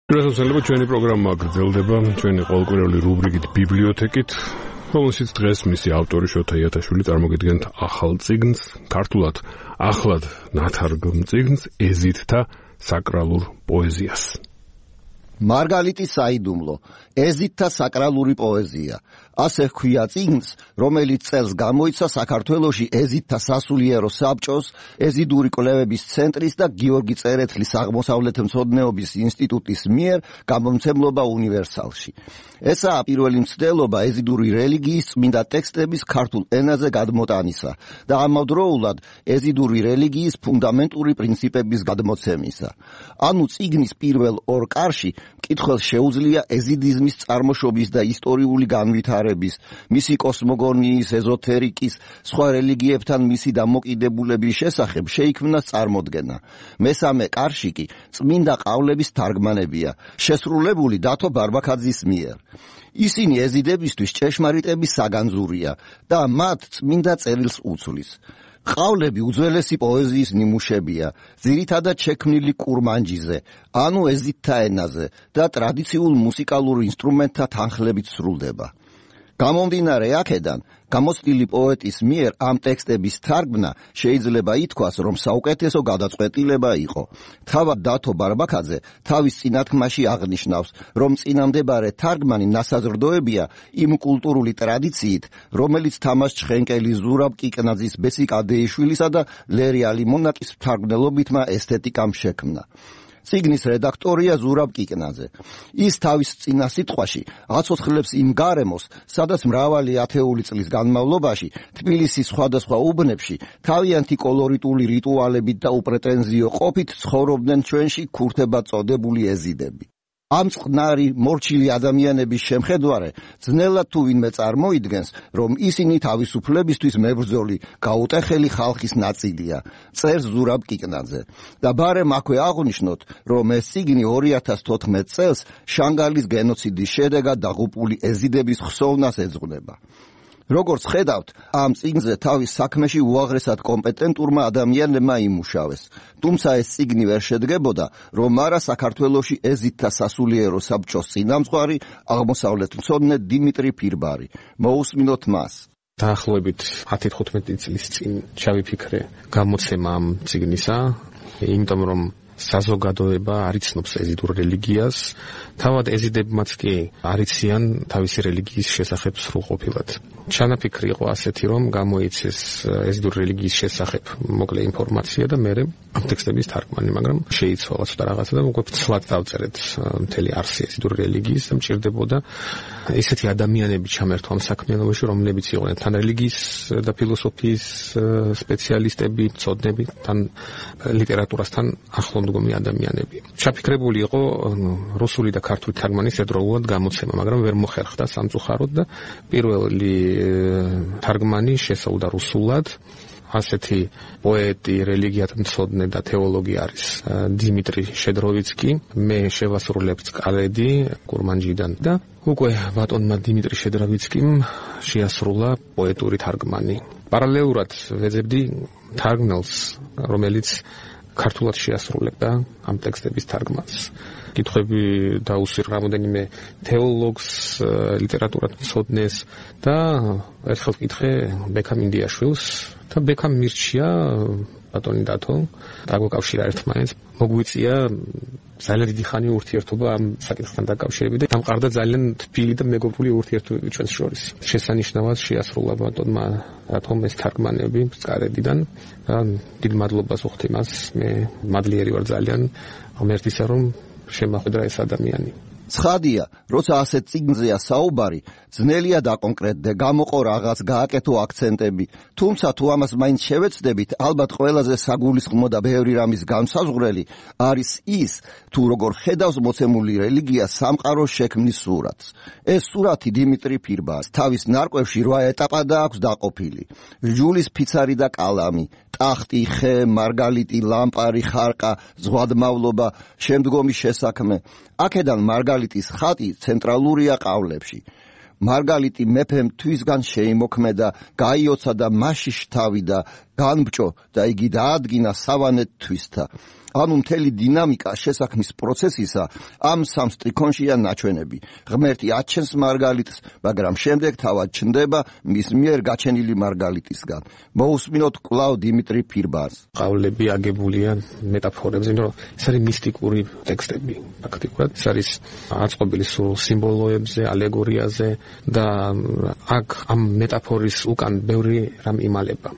Დღესასწაულები ჩვენი პროგრამა გრძელდება ჩვენი ყოველკვირეული რუბრიკით ბიბლიოთეკით, რომელშიც დღეს მისი ავტორი შოთა იათაშვილი წარმოგიდგენთ ახალ წიგნს, ქართულად ახლად ნათარგმნ წიგნს ეზიდთა საკრალურ პოეზიას. მარგალიტი საიდუმლო, ეზიდთა საკრალური პოეზია. ასე ჰქვია წიგნს, რომელიც წელს გამოიცა საქართველოში ეზიდთა სასულიერო საბჭოს, ეზიდური კვლევების ცენტრის და გიორგი წერეთლის აღმოსავლეთმცოდნეობის ინსტიტუტის მიერ გამომცემლობა უნივერსალში. ესაა პირველი მცდელობა ეზიდური რელიგიის წმინდა ტექსტების ქართულ ენაზე გადმოტანისა და ამავდროულად ეზიდური რელიგიის ფუნდამენტური პრინციპების გადმოცემისა. ანუ წიგნის პირველ ორ კარში მკითხველს შეუძლია ეზიდიზმის წარმოშობის და ისტორიული განვითარების, მისი კოსმოგონიის, ეზოთერიკის, სხვა რელიგიებთან მისი დამოკიდებულების შესახებ შეიქმნას წარმოდგენა. მესამე კარში კი წმინდა ყავლების თარგმანებია, შესრულებული დათო ბარბაქაძის მიერ. ისინი ეზიდებისთვის ჭეშმარიტების საგანძურია და მათ წმინდა წერილს უცვლის. ყავლები უძველესი პოეზიის ნიმუშებია, ძირითადად შექმნილი კურმანჯიზე, ანუ ეზიდთა ენაზე და ტრადიციულ მუსიკალურ ინსტრუმენტთა თანხლებით სრულდება. გამომდინარე აქედან, გამოცდილი პოეტის მიერ ამ ტექსტების თარგმნა შეიძლება ითქვას, რომ საუკეთესო გადაწყვეტილება იყო. თავად დათო ბარბაქაძე თავის წინათქმაში აღნიშნავს, რომ წინამდებარე თარგმანი ნასაზრდოებია იმ კულტურული ტრადიციით, რომელიც თამაშ ჩხენკელი, ზურაბ კიკნაძის, ბესი კადეიშვილისა და ლერი ალიმონაკის მთარგმნელობითმა ესთეტიკამ შექმნა. წიგნის რედაქტორია ზურაბ კიკნაძე. ის თავის წინა სიტყვაში აცოცხლებს იმ გარემოს, სადაც მრავალი ათეული წლის განმავლობაში თბილისის სხვადასხვა უბნებში თავიანთი კოლორიტული რიტუალებით და უპრეტენზიო ყოფით ცხოვრობდნენ ჩვენში ქურთებად წოდებული ეზიდები. ამ წყნარი მორჩილი ადამიანების შემხედვარე ძნელად თუ ვინმე წარმოიდგენს, რომ ისინი თავისუფლებისთვის მებრძოლი, გაუტეხელი ხალხის ნაწილია, წერს ზურაბ კიკნაძე. და ბარემ აქვე აღვნიშნოთ, რომ ეს წიგნი 2014 წელს შანგალის გენოციდის შედეგად დაღუპული ეზიდების ხსოვნას ეძღვნება. როგორც ხედავთ, ამ წიგნზე თავის საქმეში უაღრესად კომპეტენტურმა ადამიანებმა იმუშავეს. თუმცა ეს წიგნი ვერ შედგებოდა, რომ არა საქართველოში ეზიდთა სასულიერო საბჭოს წინამძღვარი, აღმოსავლეთმცოდნე დიმიტრი ფირბარი. მოусმინოთ მას. დაახლოებით 10-15 წლის წინ ჩავიფიქრე გამოცემა ამ წიგნისა, იმიტომ რომ საზოგადოება არ იცნობს ეზიდურ რელიგიას, თავად ეზიდებმაც კი არ იციან თავისი რელიგიის შესახებ სრულყოფილად. ჩანაფიქრი იყო ასეთი, რომ გამოიცეს ეზიდური რელიგიის შესახებ მოკლე ინფორმაცია და მე ამ ტექსტების თარგმანი, მაგრამ შეიცვალა ცოტა რაღაცა და უკვე ფცლად დავწერეთ მთელი არსი ეზიდური რელიგიის და მჭირდებოდა ესეთი ადამიანები ჩამერთვა ამ საქმიანობაში, რომლებიც იყვნენ თან რელიგიის და ფილოსოფიის სპეციალისტები, მცოდნები, თან ლიტერატურასთან ახლო მდგომი ადამიანები. ჩაფიქრებული იყო რუსული და ქართული თარგმანის ერთდროულად გამოცემა, მაგრამ ვერ მოხერხდა სამწუხაროდ და პირველი თარგმანი შესავდა რუსულად. ასეთი პოეტი, რელიგიათმცოდნე და თეოლოგი არის დიმიტრი შედროვიცკი. მე შევასრულებ წყალედი კურმანჯიდან და უკვე ბატონმა დიმიტრი შედროვიცკიმ შეასრულა პოეტური თარგმანი. პარალელურად ვეძებდი თარგმნელს, რომელიც ქართულად შეასრულებდა ამ ტექსტების თარგმანს. კითხვები დაუსვირ რამოდენიმე თეოლოგს, ლიტერატურათმცოდნეს და ერთხელ ვკითხე ბექამ ინდიაშვილს და ბექამ მირჩია ბატონი დათო, დაგვეკავშირა ერთმანეთს, მოგვიწია ძალიან დიდი ხანი ურთიერთობა ამ საკითხთან დაკავშირებით და დამყარდა ძალიან თბილი და მეგობრული ურთიერთობები ჩვენს შორის. შესანიშნავად შეასრულა ბატონმა დათომ ეს თარგმანები წყარედიდან და დიდ მადლობას ვუხდი მას. მე მადლიერი ვარ ძალიან ღმერთისა, რომ შემახვედრა ეს ადამიანი. ცხადია, როცა ასეთ წიგნზეა საუბარი, ძნელია დაკონკრეტდე, გამოყო რაღაც, გააკეთო აქცენტები. თუმცა თუ ამას მაინც შევეცდებით, ალბათ ყველაზე საგულისხმო და ბევრი რამის განსაზღვრელი არის ის, თუ როგორ ხედავს მოცემული რელიგია სამყაროს შექმნის სურათს. ეს სურათი დიმიტრი ფირბარს თავის ნარკვევში 8 ეტაპადაა აქვს დაყოფილი. ჟულის ფიცარი და კალამი, ტახტი, ხე, მარგალიტი, ლამპარი, ხარყა, ზღვადმავლობა, შემდგომი შესაქმე. აქედან მარგალიტის ხატი ცენტრალურია ყავლებში. მარგალიტი მეფემ თვისგან შეიმოქმედა, გაიოცა და მასში შთავიდა, განბჭო და იგი დაადგინა სავანეთ თვისთა. ანუ მთელი დინამიკა შესაქმნის პროცესისა ამ სამ სტრიქონშია ნაჩვენები. ღმერთი აჩენს მარგალიტს, მაგრამ შემდეგ თავად ჩნდება მის მიერ გაჩენილი მარგალიტისგან. მოусმინოთ კვლავ დიმიტრი ფირბანს. ყავლები აგებულია მეტაფორებზე, რომ ეს არის მისტიკური ტექსტები, ფაქტიურად. ეს არის აწყობილი სულ სიმბოლოებზე, ალეგორიაზე და აქ ამ მეტაფორის უკან ბევრი რამ იმალება.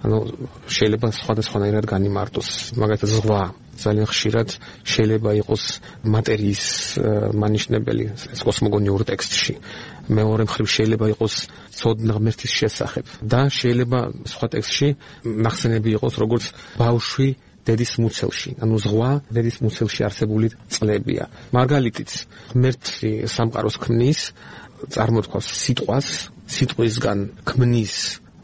ანუ შეიძლება სხვადასხვანაირად განიმარტოს. მაგალითად ზღვა ძალიან ხშირად შეიძლება იყოს მატერიის მანიშნებელი ეს კოსმოგონიურ ტექსტში. მეორე მხრივ შეიძლება იყოს ცოდნა ღმერთის შესახებ და შეიძლება სხვა ტექსტში ნახსენები იყოს როგორც ბავშვი დედის მუცელში. ანუ ზღვა დედის მუცელში არსებული წყლებია. მარგალიტიც ღმერთი სამყაროს ქმნის, წარმოთქვას სიტყვას, სიტყვისგან ქმნის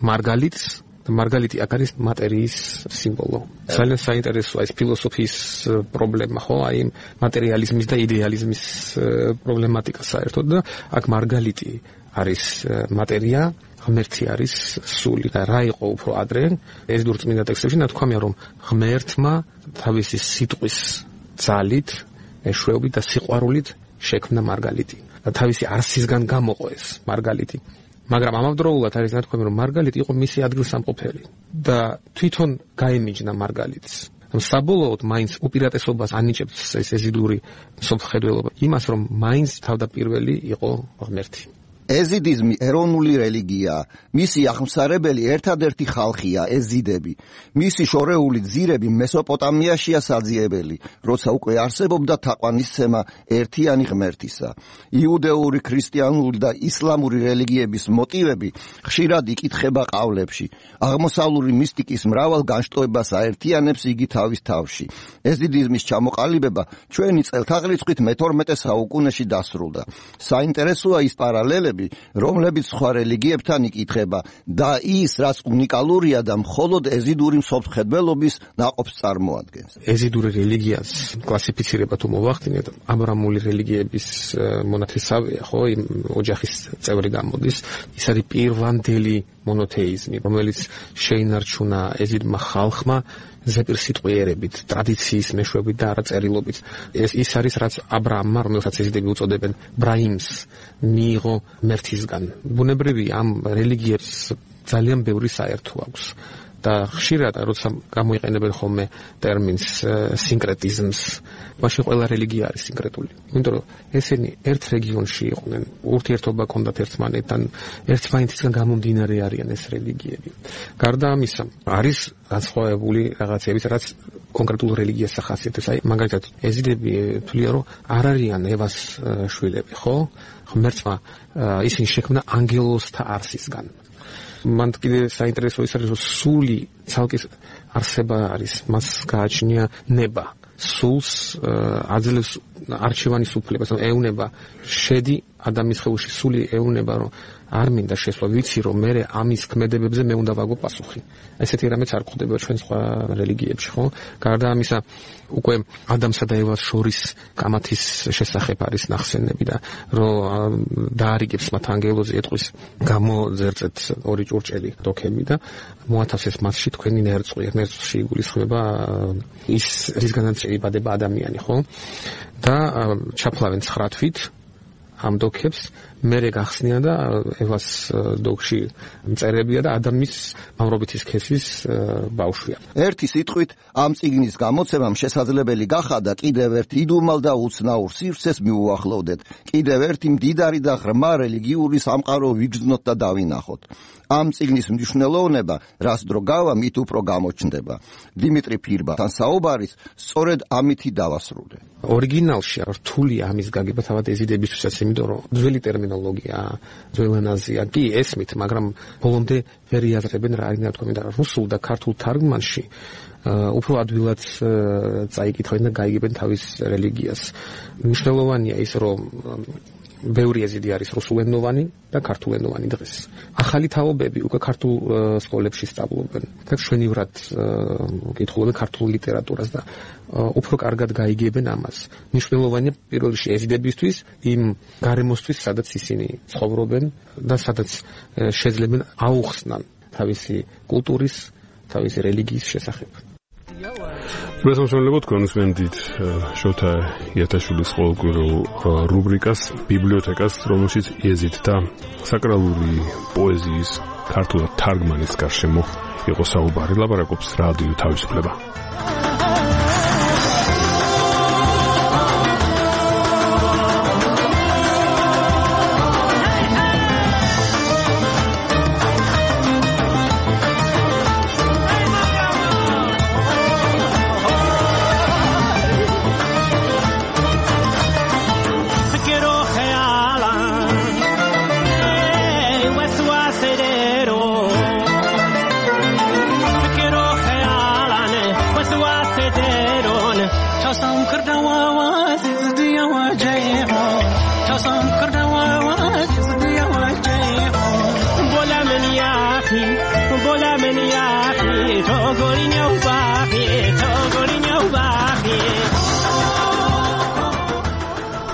მარგალიტს. მარგალიტი აქ არის მატერიის სიმბოლო. ძალიან საინტერესოა ეს ფილოსოფიის პრობლემა, ხო? აი მატერიალიზმის და იდეალიზმის პრობლემატიკა საერთოდ და აქ მარგალიტი არის მატერია, ღმერთი არის სული. და რა იყო უფრო ადრე ეს დურწმინდა ტექსტებში ნათქვამია, რომ ღმერთმა თავისი სიტყვის ძალით, მეშვეობით და სიყვარულით შექმნა მარგალიტი. და თავისი არსისგან გამოყო ეს მარგალიტი. მაგრამ ამავდროულად არის ნათქვამი, რომ მარგალიტი იყო მისი ადგილსამყოფელი და თვითონ გაემიჯნა მარგალიტს. საბოლოოდ მაინც უპირატესობას ანიჭებს ეს ეზიდური მსოფლმხედველობა იმას, რომ მაინც თავდაპირველი იყო ღმერთი. ეზიდიზმი ეროვნული რელიგიაა. მისი აღმსარებელი ერთადერთი ხალხია ეზიდები. მისი შორეული ძირები მესოპოტამიაშია საძიებელი, როცა უკვე არსებობდა თაყვანისცემა ერთიანი ღმერთისა. იუდეური, ქრისტიანული და ისლამური რელიგიების მოტივები ხშირად იკითხება ყავლებში. აღმოსავლური მისტიკის მრავალ განშტოებას აერთიანებს იგი თავის თავში. ეზიდიზმის ჩამოყალიბება ჩვენი წელთაღრიცხვით მე-12 საუკუნეში დასრულდა. საინტერესოა ის პარალელები, რომლებიც სხვა რელიგიებთან იკითხება და ის, რაც უნიკალურია და მხოლოდ ეზიდური მსოფლმხედველობის ნაყოფს წარმოადგენს. ეზიდური რელიგიას კლასიფიცირება თუ მოვახდინეთ, აბრამული რელიგიების მონათესავეა, ხო, იმ ოჯახის წევრი გამოდის. ის არის პირვანდელი მონოთეიზმი, რომელიც შეინარჩუნა ეზიდმა ხალხმა ზეპირსიტყვიერებით, ტრადიციის მეშვეობით და არაწერილობით. ის არის, რაც აბრაამმა, რომელსაც ეზიდები უწოდებენ ბრაიმს, მიიღო ღმერთისგან. ბუნებრივი ამ რელიგიებს ძალიან ბევრი საერთო აქვს. და ხშირად როცა გამოიყენებენ ხოლმე ტერმინს სინკრეტიზმს, მაშინ ყველა რელიგია არის სინკრეტული. იმიტომ რომ ესენი ერთ რეგიონში იყვნენ, ურთიერთობა ჰქონდათ ერთმანეთთან, ერთმანეთისგან გამომდინარე არიან ეს რელიგიები. გარდა ამისა, არის განსხვავებული რაღაცებიც, რაც კონკრეტულ რელიგიას ახასიათებს. აი, მაგალითად, ეზიდები თვლიან, რომ არ არიან ევას შვილები, ხო? ღმერთმა ისინი შექმნა ანგელოზთა არსისგან. მან კიდე საინტერესო ის არის, რომ სული ცალკე არსება არის, მას გააჩნია ნება. სულს აძლევს არჩევანის უფლებას, ეუნება შედი ადამიანის ხეულში, სული ეუნება, რომ არ მინდა შესვლა, ვიცი რომ მე ამის ქმედებებზე მე უნდა ვაგო პასუხი. ესეთი რამეც არ გვხდება ჩვენ სხვა რელიგიებში, ხო? გარდა ამისა, უკვე ადამსა და ევას შორის კამათის შესახებ არის ნახსენები და რომ დაარიგებს მათ ანგელოზი ეტყვის გამოძერწეთ ორი ჭურჭელი დოქები და მოათავსეს მასში თქვენი ნერწყვი. ნერწყვში იგულისხმება ის რისგანაც იბადება ადამიანი, ხო? და ჩაფლავენ 9 თვით ამ დოქებს, მერე გახსნიან და ევას დოქში მწერებია და ადამიანის მამრობითი სქესის ბავშვია. ერთი სიტყვით ამ წიგნის გამოცემამ შესაძლებელი გახადა კიდევ ერთ იდუმალ და უცნაურ სივრცეს მიუახლოვდეთ, კიდევ ერთი მდიდარი და ღრმა რელიგიური სამყარო ვიგრძნოთ და დავინახოთ. ამ წიგნის მნიშვნელოვნება, რაც დრო გავა, მით უფრო გამოჩნდება. დიმიტრი ფირბანთან საუბარის სწორედ ამითი დავასრულე. ორიგინალში რთულია ამის გაგება თავად ეზიდებისთვისაც, იმიტომ რომ ძველი ტერმინოლოგია, ძველ ენაზეა კი ესმით, მაგრამ ბოლომდე ვერ იაზრებენ რა არის ნათქვამი და რუსულ და ქართულ თარგმანში უფრო ადვილად წაიკითხავენ და გაიგებენ თავის რელიგიას. მნიშვნელოვანია ის, რომ ბევრი ეზიდი არის რუსულენოვანი და ქართულენოვანი დღეს. ახალი თაობები უკვე ქართულ სკოლებში სწავლობენ და მშვენივრად კითხულობენ ქართულ ლიტერატურას და უფრო კარგად გაიგებენ ამას. მნიშვნელოვანია პირველ რიგში ეზიდებისთვის იმ გარემოსთვის, სადაც ისინი ცხოვრობენ და სადაც შეძლებენ აუხსნან თავისი კულტურის თავისი რელიგიის შესახებ. მოსამშობლებლად კონსვენტით შოთა იათაშვილის ყოველკვირეულ რუბრიკას ბიბლიოთეკას, რომელშიც იეზიდთა და საკრალური პოეზიის ქართულად თარგმანის გარშემო იყო საუბარი. ლაპარაკობს რადიო თავისუფლება.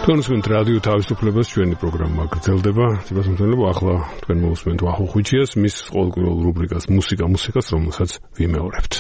კონსვენტ რადიო თავისუფლებას ჩვენი პროგრამა გრძელდება. ციფროსამსახურებო ახლა თქვენ მოусმენთ ვახო ხუჩიას, მის ყოველკვირეულ რუბრიკას მუსიკას, რომელსაც ვიმეორებთ.